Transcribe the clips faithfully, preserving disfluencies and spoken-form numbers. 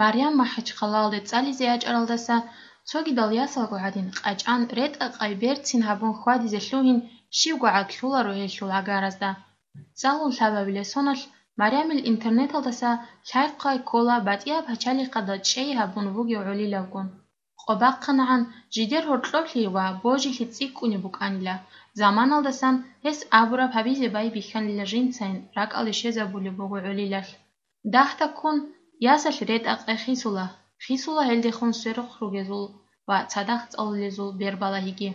Марям МахӀачхъалалде цӀализе ячӀаралдаса цогидал ясалго гӀадин къачӀан, ретӀа-къай берцин гьабун хьвадизе лъугьин, щибго гӀаглъуларо гьелъул гӀагаразда. ЦӀалун лъабабилеб соналъ Марямил интернеталдаса лъай-хъвай ккола батӀияб пачалихъалда чӀей гьабун вугев гӀолилавгун. Къо бахъанагӀан жидер гьоркьоблъи ва божилъи цӀикӀкӀунеб букӀанила, заманалдасан гьес абураб гьабизе байбихьанила жинцайин ракӀалде щвезабулеб буго гӀолилалъ. Дагь-дагьккун ясалъ ретӀа-къай хисула, хисула гьелдехун сверухъ ругезул ва цадахъ цӀалулезул бербалагьиги.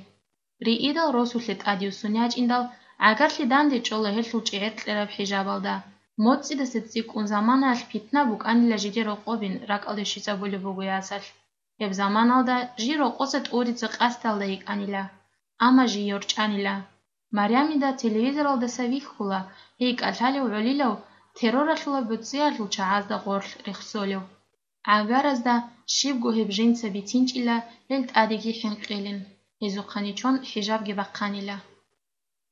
Риидал росулъе тӀадюссун ячӀиндал, гӀагарлъи данде чӀола гьелъул чӀегӀер кьераб хӀижабалда. МоцӀидаса цӀикӀкӀун заманаялъ питна букӀанила жидер рокъобин ракӀалде щвезабулеб буго ясалъ. Гьеб заманалда жий рокъоса тӀуризе къасдалда йикӀанила, амма жий йорчӀанила. Марямида телевизоралдаса вихьула гьей кӀалъалев гӀолилав терроралъула буцӀиялъул чагӀазда гъорлъ рехсолев. ГӀагаразда щибго гьеб жинца бицинчӀила гьел тӀадеги хӀинкъилин, гьезухъани чон хӀижабги бахъанила.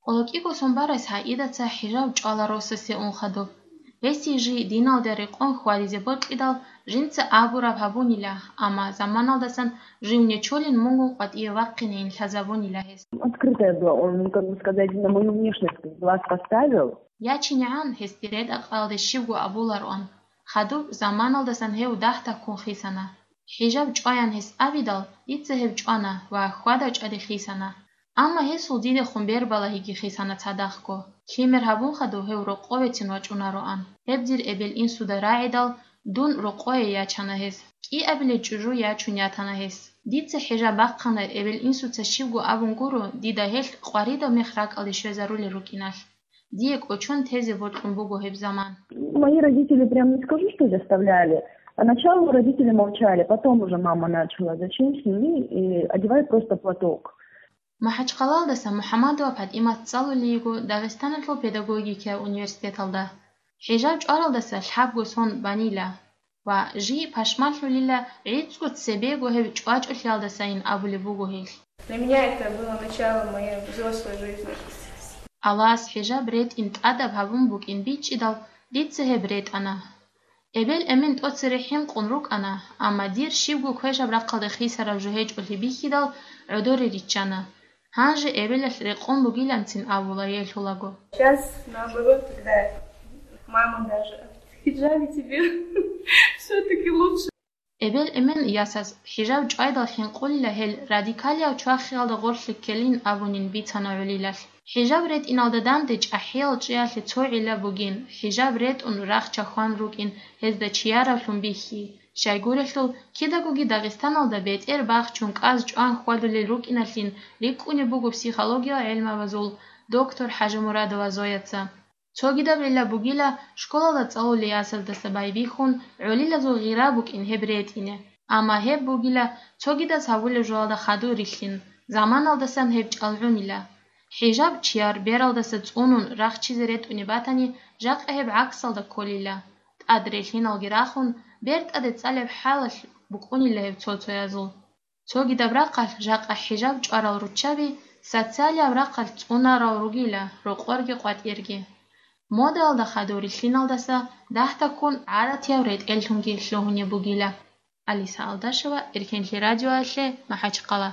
КъолокӀиго сон барас Саидаца хӀижаб чӀвала росасе ун хадуб. Гьесие жий диналда рекъон хьвадизе бокьидал, жинца абураб гьабунила, амма заманалдасан жив нечолин мунгун къватӀиве вахъинейин лъазабунила гьес. Открытая была, он, ну, как бы сказать, на мою внешность глаз поставил. ЯчинегӀан гьесде ретӀа-къаялде щибго абулароан, хадуб заманалдасан гьев дагь-дагьккун хисана. ХӀижаб чӀваян гьес абидал, дица гьеб чӀвана ва хьвада-чӀвади хисана. Амма гьесул дидехун бербалагьиги хисана цадахъго. Лъимер гьабун хадув гьев рокъовецин вачӀунароан. Гьеб дир эбел-инсуда рагӀидал, дун рокъое ячана гьес. КӀиабилей чӀужу ячун ятана гьес. Дица хӀижаб бахъана, эбел-инсуца щибго абун гуро, дида гьелъ къваридаб мех ракӀалде щвезарулел рукӀиналъ. Дие кӀочон тезе бокьун буго гьеб заман. Мои родители, прям не скажу, что заставляли. Поначалу родители молчали, потом уже мама начала: «Зачем сними?» И одевай просто платок. МахӀачхъалалдаса МухӀаммадова ПатӀимат цӀалулей йиго Дагъистаналъул педагогикияв университеталда. ХӀижаб чӀваралдаса лъабго сон банила ва жий пашмалъулила, гӀицӀго цебего гьеб чӀвачӀулъиялдасайин абулеб буго гьелъ. Для меня это было начало моей взрослой жизни. Аллагьас хӀижаб ретӀин тӀадаб гьабун букӀин бичӀчӀидал, дица гьеб ретӀана. Эбел-эмен тӀоцере хӀинкъун рукӀана, амма дир щибго квешаб рахъалде хисараб жо гьечӀолъи бихьидал, гӀодоре риччана. Гьанже эбелалъ рекъон бугиланцин абула гьелъулаго. Сейчас, наоборот, когда мама даже: «В хиджабе тебе всё-таки лучше». Эбел-эмен ясаз хӀижаб чӀвайдал хӀинкъулила гьел радикалияв чвахиялда гъорлъе ккелин абунин бицана гӀолилалъ. ХӀижаб ретӀиналда данде чӀахӀиял чӀиялъе цо гӀилла бугин, хӀижаб ретӀун рагъ чахьван рукӀин гьезда чияравлъун бихьи. Щайгурелъул, кидагоги Дагъистаналда бетӀер бахчун кӀаз чӀван хьвадулел рукӀиналъин рикӀкӀунеб буго психологиял гӀелмабазул доктор ХӀажимурадова Зояца. Цогидаб гӀилла бугила школалда цӀалулей ясаздаса байбихьун гӀолилазул гъира букӀин гьеб ретӀине. Амма гьеб бугила цогидаз гьабулеб жоялда хадур рилълъин, заманалдасан гьеб чӀалгӀунила. ХӀижаб чияр бералдаса цӀунун рахчизе ретӀунеб батани, жакъа гьеб гӀаксалда кколила. ТӀад релълъиналги рахун, бертӀаде цӀалеб хӀалалъ букӀунила гьеб цо-цоязул. Цогидаб рахъалъ жакъа хӀижаб чӀварал руччаби социалияб рахъалъ цӀунарал ругила рокъорги къватӀирги. Модаялда хадур рилълъиналдаса дагь-дагьккун гӀадатияв ретӀеллъунги лъугьунеб бугила. Алиса Алдашева, Эркенлъи радиоялъе, МахӀачхъала.